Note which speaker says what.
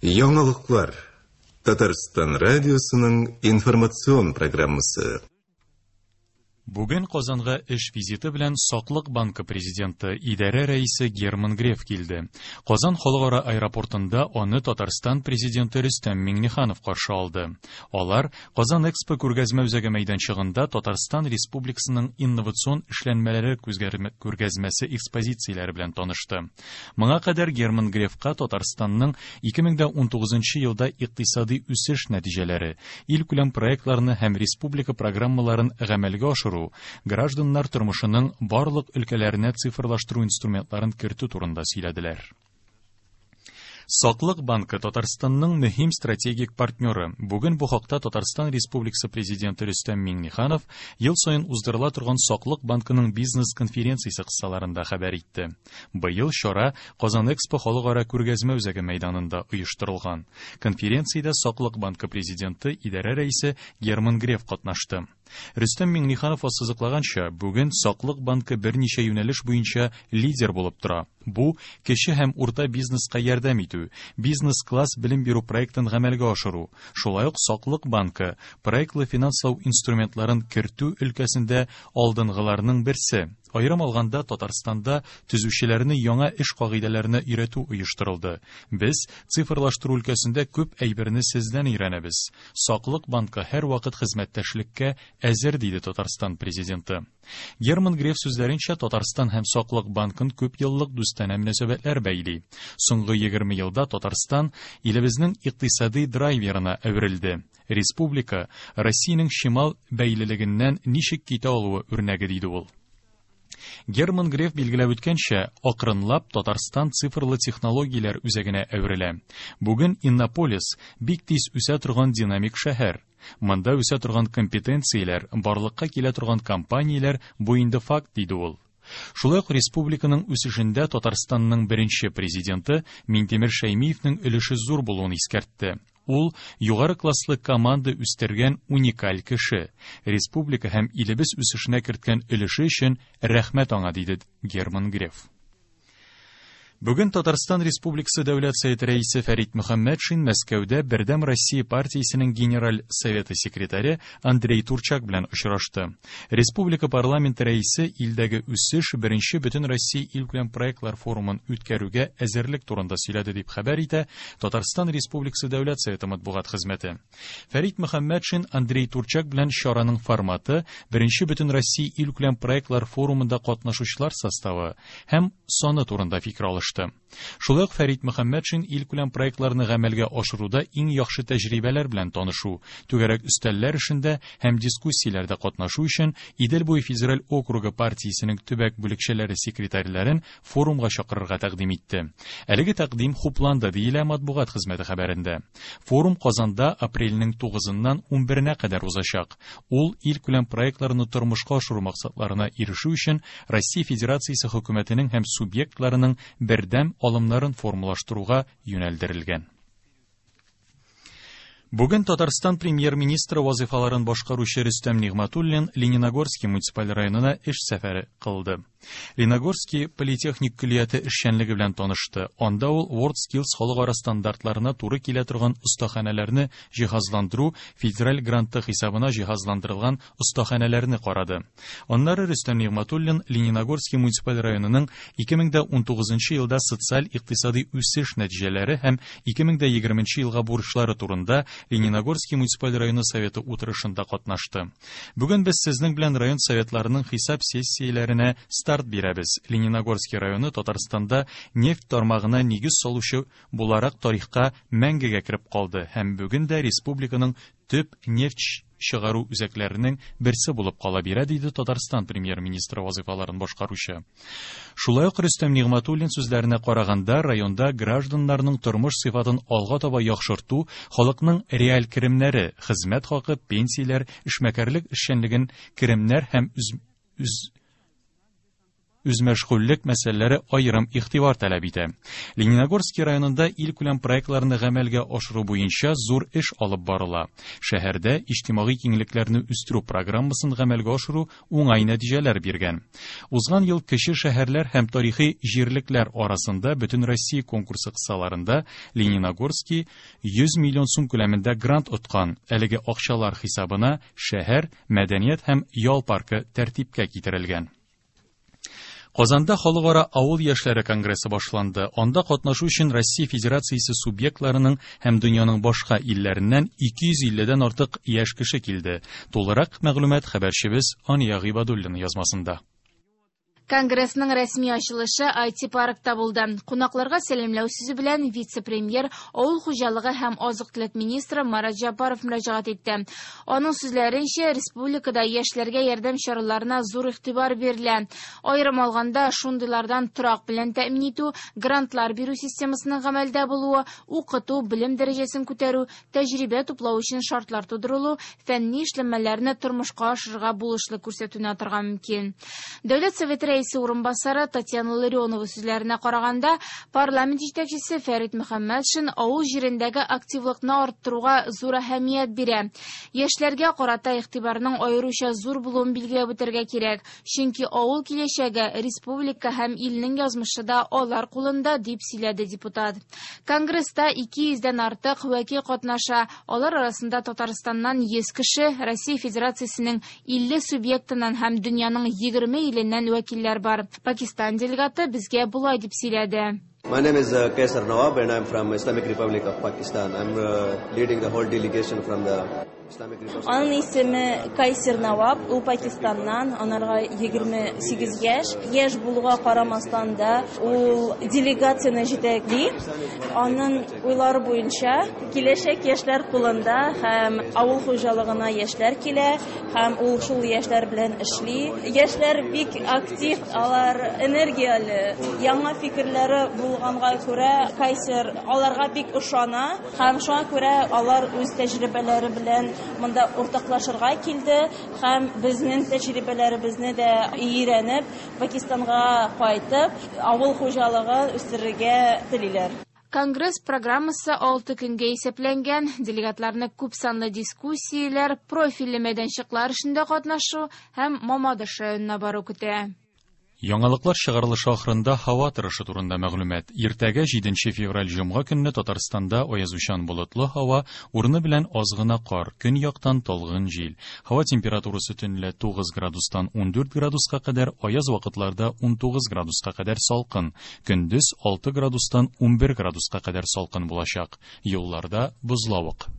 Speaker 1: Яңалыклар. Татарстан радиосының информацион программасы.
Speaker 2: Бүген Казанга эш визиты белән Саклык банкы президенты, идарә рәисе Герман Греф килде. Казан халыкара аэропортында аны Татарстан президенты Рөстәм Миңнеханов каршы алды. Алар Казан Экспо күргәзмә үзәге мәйданчыгында Татарстан Республикасының инновацион эшләнмәләре күргәзмәсе экспозицияләре белән танышты. Моңа кадәр Герман Грефка Татарстанның 2019 елда икътисади үсеш нәтиҗәләре, илкүләм проектларны һәм республика программаларын гамәлгә ашыру, гражданнар тормышының барлык өлкәләренә цифрлаштыру инструментларын кертү турында сөйләделәр. Саклык банкы Татарстанның мөһим стратегик партнеры. Бүген бу хакта Татарстан Республикасы Президенты Рөстәм Миңнеханов ел саен уздырыла торган Саклык банкының бизнес-конференциясе кысаларында хәбәр итте. Быел чара Казан Экспо халыкара күргәзмә үзәге мәйданында оештырылган. Конференциядә Саклык банкы президенты, идарә рәисе Герман Греф катнашты. Рөстәм Миңнеханов ассызыклаганча, бүген Саклык банкы берничә юнәлеш буенча лидер булып тора. Бу кече һәм урта бизнеска ярдәм итү, бизнес-класс белем бирү проектын гамәлгә ашыру, шулай ук Саклык банкы проектлы финанслау инструментларын кертү өлкәсендә алдынгыларның берсе. Аерым алганда, Татарстанда төзүчеләрне яңа эш кагыйдәләренә өйрәтү оештырылды. Без цифрлаштыру өлкәсендә күп әйберне сездән өйрәнәбез. Саклык банкы һәрвакыт хезмәттәшлеккә әзер, диде Татарстан президенты. Герман Греф сүзләренчә, Татарстан һәм Саклык банкын күп еллык дустанә мөнәсәбәтләр бәйли. Соңгы 20 елда Татарстан илебезнең икътисади драйверына әверелде. Республика Россиянең чимал бәйлелегеннән ничек китә алуы үрнәге, диде ул. Герман Греф билгеләп үткәнчә, акрынлап Татарстан цифрлы технологияләр үзәгенә әверелә. Бүген Иннополис бик тиз үсә торган динамик шәһәр. Монда үсә торган компетенцияләр, барлыкка килә торган компанияләр бу инде факт, диде ул. Шулай ук республиканың үсешендә Татарстанның беренче президенты Минтимер Шәймиевнең өлеше зур булуын искәртте. Ул югары класслы команда үстергән уникаль кеше. Республика һәм илебез үсешенә керткән өлеше өчен рәхмәт аңа, диде Герман Греф. Бүген Татарстан Республикасы Дәүләт Советы рәисе Фәрит Мөхәммәтшин Мәскәүдә Бердәм Россия партиясенең Генераль Советы секретаре Андрей Турчак белән очрашты. Республика парламенты рәисе илдәге үсеш беренче Бөтенроссия илкүләм проектлар форумын үткәрүгә әзерлек турында сөйләде, дип хәбәр итә Татарстан Республикасы Дәүләт Советы матбугат хезмәте. Фәрит Мөхәммәтшин Андрей Турчак белән чараның форматы, беренче Бөтенроссия илкүләм проектлар форумында катнашучылар составы һәм саны турында фикер алышты. Шулай ук Фәрит Мөхәммәтшин илкүләм проектларны гамәлгә ашыруда иң яхшы тәҗрибәләр белән танышу, түгәрәк өстәлләр эшендә һәм дискуссияләрдә катнашу өчен Идел буе федераль округы партиясенең төбәк бүлекчәләре секретарьләрен форумга чакырырга тәкъдим итте. Әлеге тәкъдим хупланды, диелә матбугат хезмәте хәбәрендә. Форум Казанда апрельнең 9-ннан 11-нә кадәр узачак. Ул илкүләм проектларны тормышка ашыру максатларына ирешү өчен Россия Федерациясе хөкүмәтенең һәм субъектларының бердәм алымнарын формалаштыруга юнәлдерелгән. Бүген Татарстан премьер-министры вазыйфаларын башкаручы Рөстәм Нигъмәтуллин Лениногорский муниципаль районына эш сәфәре кылды. Лениногорский политехник көллияте эшчәнлеге белән танышты. Анда ул WorldSkills халыкара стандартларына туры килә торган остаханәләрне җиһазландыру федераль гранты хисабына җиһазландырылган остаханәләрне карады. Аннары Рөстәм Нигъмәтуллин Лениногорский муниципаль районының 2019 елда социаль-икътисади үсеш нәтиҗәләре һәм 2020 елга бурычлары турында Лениногорский муниципаль районы советы утырышында катнашты. Бүген без сезнең белән район советларының хисап сессияләренә старт бирәбез. Лениногорский районы Татарстанда нефть тармагына нигез салучы буларак тарихка мәңгегә кереп калды һәм бүген дә республиканың төп нефть чыгару үзәкләренең берсе булып кала бирә, диде Татарстан премьер-министры вазыйфаларын башкаручы. Шулай ук Рөстәм Нигъмәтуллин сүзләренә караганда, районда гражданнарның тормыш сыйфатын алга таба яхшырту, халыкның реаль керемнәре, хезмәт хакы, пенсияләр, эшмәкәрлек эшчәнлеген керемнәр һәм үз, үз үзмәшгульлек мәсьәләләре аерым игътибар таләп итә. Лениногорский районында илкүләм проектларны гамәлгә ашыру буенча зур эш алып барыла. Шәһәрдә иҗтимагый киңлекләрне үстерү программасын гамәлгә ашыру уңай нәтиҗәләр биргән. Узган ел кече шәһәрләр һәм тарихи җирлекләр арасында Бөтенроссия конкурсы кысаларында Лениногорский 100 миллион сум күләмендә грант откан. Әлеге акчалар хисабына шәһәр мәдәният һәм ял паркы тәртипкә китерелгән. Казанда Халыкара авыл яшьләре конгрессы башланды. Анда катнашу өчен Россия Федерациясе субъектларының һәм дөньяның башка илләреннән 250дән артык яшь кеше килде. Тулырак мәгълүмат хәбәрчебез Ания Гыйбадуллина язмасында.
Speaker 3: Конгрессның рәсми ачылышы IT-паркта булды. Кунакларга сәламләү сүзе белән вице-премьер, авыл хуҗалыгы һәм азык-төлек министры Марат Җәббаров мөрәҗәгать итте. Аның сүзләренчә, республикада яшьләргә ярдәм чараларына зур игътибар бирелә. Аерым алганда, шундыйлардан торак белән тәэмин итү, грантлар бирү системасының гамәлдә булуы, укыту, белем дәрәҗәсен күтәрү, тәҗрибә туплау өчен шартлар тудырылу, фәнни эшләнмәләрне тормышка ашырырга булышлык күрсәтүне атарга мөмкин. Дәүләт Советы рәисе урынбасары Татьяна Ларионова сүзләренә караганда, парламент җитәкчесе Фәрит Мөхәммәтшин авыл җирендәге активлыкны арттыруга зур әһәмият бирә. Яшьләргә карата игътибарның аеруча зур булуын билгеләп үтәргә кирәк, чөнки авыл киләчәге, республика һәм илнең язмышы да алар кулында, дип сөйләде депутат. Конгресста 200дән артык вәкил катнаша. Алар арасында Татарстаннан 100 кеше, Россия Федерациясенең 50 субъектыннан һәм дөньяның 20 иленнән вәкилләр бар. Пакистан делегаты безгә болай дип сөйләде.
Speaker 4: My name is Kaisar Nawab and I'm from Islamic Republic of Pakistan. I'm leading the whole delegation from the Islamic Republic.
Speaker 5: Аның исеме Кайсер Наваб, ул Пакистаннан, анарга 28 яшь. Яшь булуга карамастан да ул делегацияне җитәкли. Аның уйлары буенча киләчәк яшьләр кулында һәм авыл хуҗалыгына яшьләр килә һәм ул шул яшьләр белән эшли. Яшьләр бик актив, алар энергияле, яңа фикерләре булганга күрә Кайсер аларга бик ышана һәм шуңа күрә алар үз тәҗрибәләре белән монда уртаклашырга килде һәм безнең тәҗрибәләребезне дә өйрәнеп Пакистанга кайтып авыл хуҗалыгын үстерергә телиләр.
Speaker 3: Конгресс программасы 6 көнгә исәпләнгән. Делегатларны күп санлы дискуссияләр, профильле мәйданчыклар эшендә катнашу һәм Мамадыш районына бару көтә.
Speaker 2: Яңалыклар чыгарылышы ахырында һава торышы турында мәгълүмат. Иртәгә 7 февраль җомга көнне Татарстанда аязучан болытлы һава, урыны белән аз гына кар, көньяктан талгын җил. Һава температурасы төнлә 9 градустан 14 градуска кадәр, аяз вакытларда 19 градуска кадәр салкын. Көндез 6 градустан 11 градуска кадәр салкын булачак. Юлларда бозлавык.